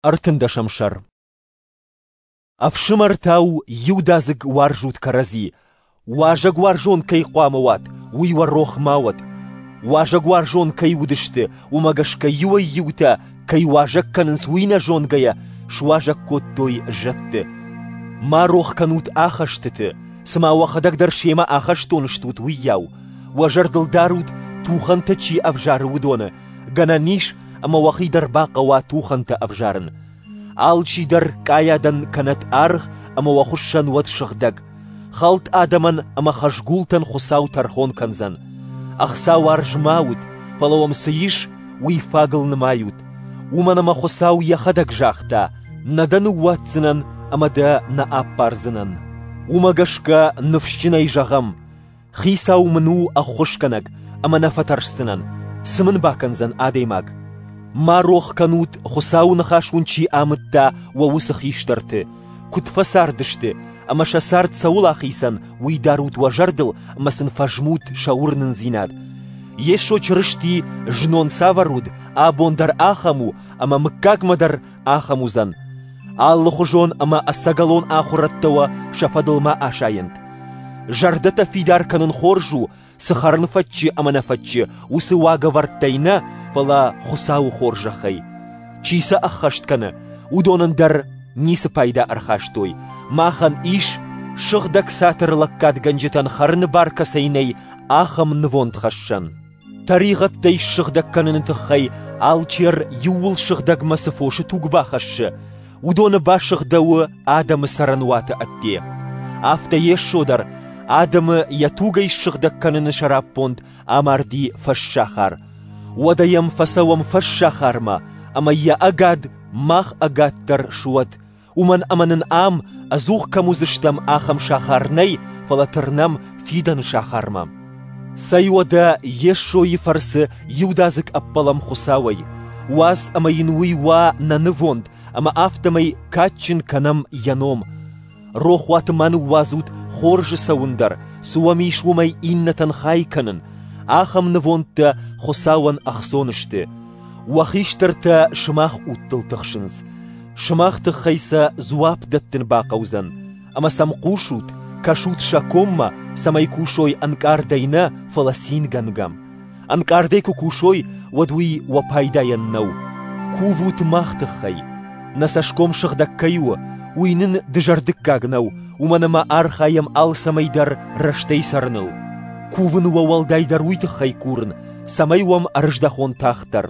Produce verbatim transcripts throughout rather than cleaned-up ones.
Ӕртындӕсӕм сӕр. Ӕфсымӕртау иудадзыг уарзут кӕрӕдзи. Уазӕгуарзон кӕй хъуамӕ уат, уый уӕ рох ма уӕд. Уазӕгуарзон кӕй уыдысты, уымӕ гӕсгӕ иуӕй-иутӕ, кӕй уазӕг кӕнынц, уый нӕ зонгӕйӕ, суазӕг кодтой зӕдты. Ма рох кӕнут ахӕстыты, цыма уӕхӕдӕг дӕр семӕ ахӕстон стут, уыйау. Уӕ зӕрдыл дарут, тухӕнтӕ чи ӕвзары, уыдоны. Гӕнӕн ис, ӕмӕ уӕхи дӕр бахъӕуа тухӕнтӕ ӕвзарын. Алчидӕр къайадӕн кӕнӕт аргъ ӕмӕ уӕ хуыссӕн уӕд сыгъдӕг. Хӕлд адӕмӕн ӕмӕ хӕзгултӕн Хуыцау тӕрхон кӕндзӕн. Ӕхцауарз ма ут, фӕлӕ уӕм цы ис, уый фагыл нымайут. Уымӕн ӕмӕ Хуыцау йӕхӕдӕг загъта: «Нӕ дӕ ныууадздзынӕн ӕмӕ дӕ нӕ аппардзынӕн». Уымӕ гӕсгӕ ныфсджынӕй зӕгъӕм: Хицау мын у ӕххуысгӕнӕг, ӕмӕ нӕ фӕтӕрсдзынӕн. Цы мын бакӕндзӕн адӕймаг? Ма рох кӕнут, Хуыцауы ныхас уын чи амыдта, уӕ уыцы хистӕрты. Куыд фӕцардысты ӕмӕ сӕ цард цӕуыл ахицӕн, уый дарут уӕ зӕрдыл ӕмӕ сын фӕзмут сӕ уырнындзинад. Йесо Чырысти знон цавӕр уыд, абон дӕр ахӕм у ӕмӕ мыггагмӕ дӕр ахӕм уыдзӕн. Алыхуызон ӕмӕ ӕцӕгӕлон ахуырӕдтӕ уӕ сӕ фӕдыл ма асайӕнт. Зӕрдӕтӕ фидар кӕнын хорз у, цы хӕрын фӕтчы ӕмӕ нӕ фӕтчы, уыцы уагӕвӕрдтӕй нӕ, фӕлӕ Хуыцауы хорзӕхӕй. Чи сӕ ӕххӕст кӕны, уыдонӕн дӕр ницы пайда ӕрхастой. Махӕн ис, сыгъдӕг цатыры лӕггадгӕнджытӕн хӕрыны бар кӕцӕй нӕй, ахӕм нывондхӕссӕн. Тӕригъӕдтӕй ссыгъдӕг кӕныны тыххӕй алчер иууыл сыгъдӕгмӕ цы фосы туг бахӕссы, уыдоны басыгъдӕуы адӕмы цӕрӕнуаты ӕдде. Афтӕ Йесо дӕр адӕмы йӕ тугӕй ссыгъдӕг кӕныны сӕраппонд амарди фӕссахар. Уӕдӕ йӕм фӕцӕуӕм фӕссахармӕ, ӕмӕ йӕ ӕгад мах ӕгад дӕр суӕд, уымӕн ӕмӕ нын ам ӕдзух кӕм уыдзыстӕм, ахӕм сахар нӕй, фӕлӕ тырнӕм фидӕны сахармӕ. Цӕй уӕдӕ Йесойы фӕрцы иудадзыг ӕппӕлӕм Хуыцауӕй. Уадз ӕмӕ йын уый уа нӕ нывонд, ӕмӕ афтӕмӕй кадджын кӕнӕм йӕ ном. Рохуаты ма ныууадзут хорзы цӕуын дӕр, цы уӕм ис, уымӕй иннӕтӕн хай кӕнын. Ахӕм нывондтӕ Хуыцауӕн ӕхцон сты. Уӕ хистӕртӕ сымах удтыл тыхсынц. Сымах тыххӕй сӕ дзуапп дӕттын бахъӕудзӕн. Ӕмӕ сӕм хъусут, кӕсут сӕ коммӕ, цӕмӕй кусой ӕнкъардӕй нӕ, фӕлӕ цингӕнгӕ. Ӕнкъардӕй куы кусой, уӕд уый уӕ пайдайӕн нӕу. Кувут мах тыххӕй. Нӕ цӕсгом сыгъдӕг кӕй у, уый нын дызӕрдыггаг нӕу, уымӕн ӕмӕ архайӕм алцӕмӕй дӕр рӕстӕй цӕрыныл. Кувын уӕ уӕлдайдӕр уый тыххӕй курын, цӕмӕй уӕм ӕрыздӕхон тагъддӕр.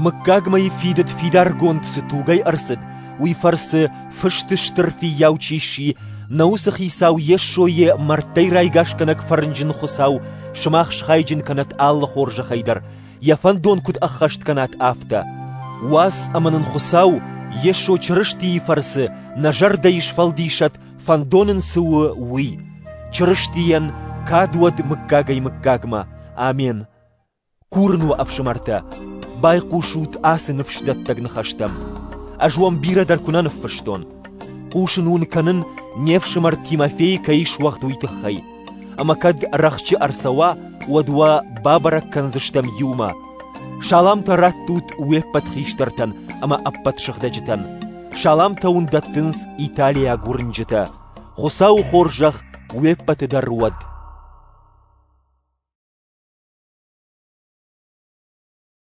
Мыггагмӕйы фидыд фидаргонд цы тугӕй ӕрцыд, уый фӕрцы фысты стыр фыййау чи сси, нӕ уыцы хицау Йесойы мӕрдтӕй райгасгӕнӕг фӕрнджын Хуыцау сымах схайджын кӕнӕт алы хорзӕхӕй дӕр, йӕ фӕндон куыд ӕххӕст кӕнат, афтӕ. Уадз ӕмӕ нын Хуыцау Йесо Чырыстийы фӕрцы нӕ зӕрдӕйы сфӕлдисӕд, фӕндон ын цы у, уый. Чырыстийӕн кад уӕд мыггагӕй-мыггагмӕ. Амен. Курын уӕ, ӕфсымӕртӕ, байхъусут ацы ныфсдӕттӕг ныхӕстӕм. Ӕз уӕм бирӕ дӕр куы нӕ ныффыстон. Хъусын уын кӕнын, не фсымӕр Тимофей кӕй суӕгъд, уый тыххӕй. Ӕмӕ кӕд рӕхджы ӕрцӕуа, уӕд уӕ бабӕрӕг кӕндзыстӕм иумӕ. Саламтӕ раттут уе ппӕт хистӕртӕн ӕмӕ ӕппӕт сыгъдӕджытӕн. Саламтӕ уын дӕттынц италиаг уырнджытӕ. Хуыцауы хорзӕх уе ппӕты дӕр уӕд.